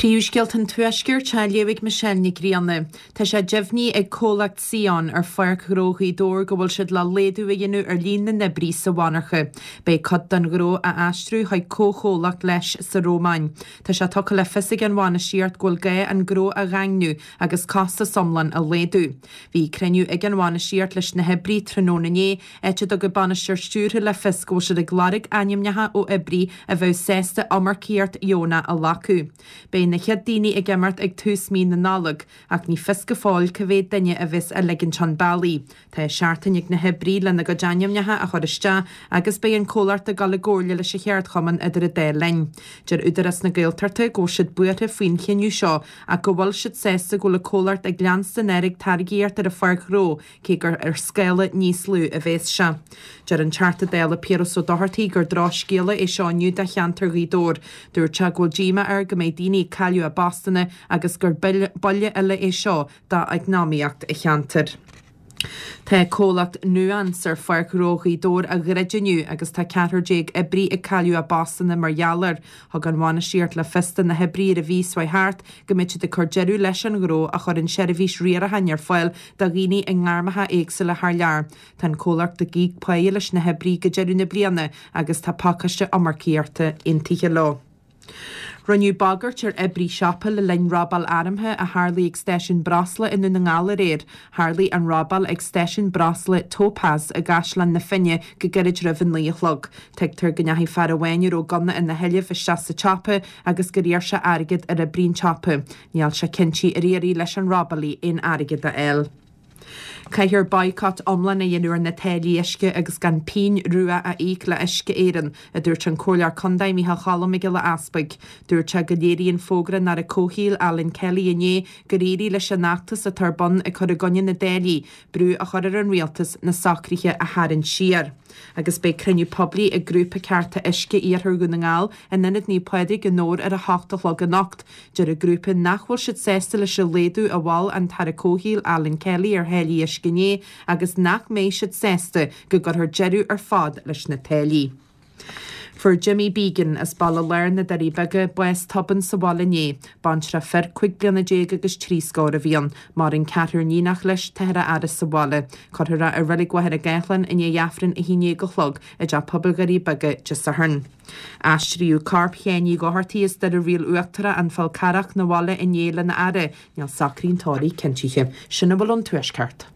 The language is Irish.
Príomhscéalta an Tuaiscirt á léamh ag Michelle Nic Grianna. Tá sé deimhnithe ag comhlacht Sion ar Pháirc Ghnó Ghaoth Dobhair go bhfuil siad le laghdú a dhéanamh ar líon na n-oibrí sa mhonarcha. Beidh cuid den ghnó á aistriú chuig comhchomhlacht leis sa Rómáin. Tá sé tugtha le fios ag an bhainistíocht go bhfuil gá an gnó a dhaingniú agus costas iomlán a laghdú. Bhí cruinniú ag an bhainistíocht leis na hoibrí tráthnóna inné, áit a dtug an bainisteoir stiúrtha le fios go bhfuil siad ag lorg ainmneacha ó oibrí a bheadh sásta iomarcaíocht dheonach a ghlacadh. Beidh na chéad daoine ag imeacht ag tús mí na Nollag, ach ní fios go fóill cá mhéad duine a bheas á ligint chun bealaigh. Tá seachtain ag na hoibrí lena gcuid ainmneacha a chur isteach agus beidh an comhlacht ag dul i gcomhairle leis an cheardchumann idir an dá linn. Deir Údarás na Gaeltachta go bhfuil siad buartha faoin chinneadh seo ach go bhfuil siad sásta go bhfuil an comhlacht ag leanstan air ag táirgíocht ar an pháirc ghnó cé gur ar scála níos lú a bhéas sé. Deir an Teachta Dála Piaras Ó Dochartaigh gur drochscéala é seo inniu do cheantar Ghaoth Dobhair. Dúirt sé go bhfuil díomá air go mbeidh daoine ag cailleadh a bpostanna agus gur buille eile é seo d'eacnamaíocht an cheantair. Tá comhlacht Nuance ar Pháirc Ghnó Ghaoth Dobhair á dhruid inniu agus tá 14 oibrí ag cailleadh a bpostanna mar gheall air. Thug an bhainistíocht le fios do na hoibrí ar an mhí seo thart go mbeidh siad ag cur deireadh leis an ghnó a chuireann seirbhís riaracháin ar fáil do dhaoine i ngairmeacha éagsúla thar lear. Tá an comhlacht ag íoc páighe leis na hoibrí go deireadh na bliana agus tá pacáiste iomarcaíochta aontaithe leo. Rinneadh bagairt ar oibrí siopa le linn robáil armtha a tharlaigh ag stáisiún breosla i nDún na nGall aréir. Tharlaigh an robáil ag stáisiún breosla Topaz i gCaisleán na Finne go gairid roimh a 9 a chlog. Tuigtear go ndeachaigh fear amháin a raibh gunna ina sheilbh isteach sa tsiopa agus gur iarr sé airgead ar oibrí an tsiopa. Níl sé cinnte ar éirigh leis an robálaí aon airgead a fháil. Caithfear boycott iomlán a dhéanamh ar na táillí uisce agus gan pingin rua a íoc le Uisce Éireann, a dúirt an Comhairleoir Contae Micheál Cholm Mac Giolla Easpaig. Dúirt sé go léiríonn fógra an Aire Comhshaoil Alan Kelly inné gur éirigh leis an fheachtas atá ar bun ag cur i gcoinne na dtáillí, brú a chur ar an Rialtas na socruithe a tharraingt siar. Agus beidh cruinniú poiblí ag Grúpa Cearta Uisce Iarthar Dhún na nGall in Ionad Naomh Pádraig i nDobhar ar a hocht a chlog anocht. Deir an grúpa nach bhfuil siad sásta leis an laghdú a mhol an tAire Comhshaoil Alan Kelly ar tháillí uisce inné agus nach mbeidh siad sásta go gcuirfear deireadh ar fad leis na táillí. Fuair Jimmy Beegan, as Baile Láir na Doirí Beaga, bás tobann sa bhaile inné. Baintreach fir 15 bliana agus trí scór a bhí ann. Maireann ceathrar níonach leis, táthar á fhaire sa bhaile. Cuirfear é i Reilig Mhachaire Gathlán i ndiaidh Aifreann 11 a chlog i dTeach Pobail Dhoirí Beaga Dé Sathairn. Aistríodh corp Sheáin Uí Dhochartaigh as Doire Riail Uachtarach, An Fál Carrach, 'na bhaile inné lena fhaire. Níl socruithe an tórraimh cinntithe. Sin a bhfuil ón Tuaisceart.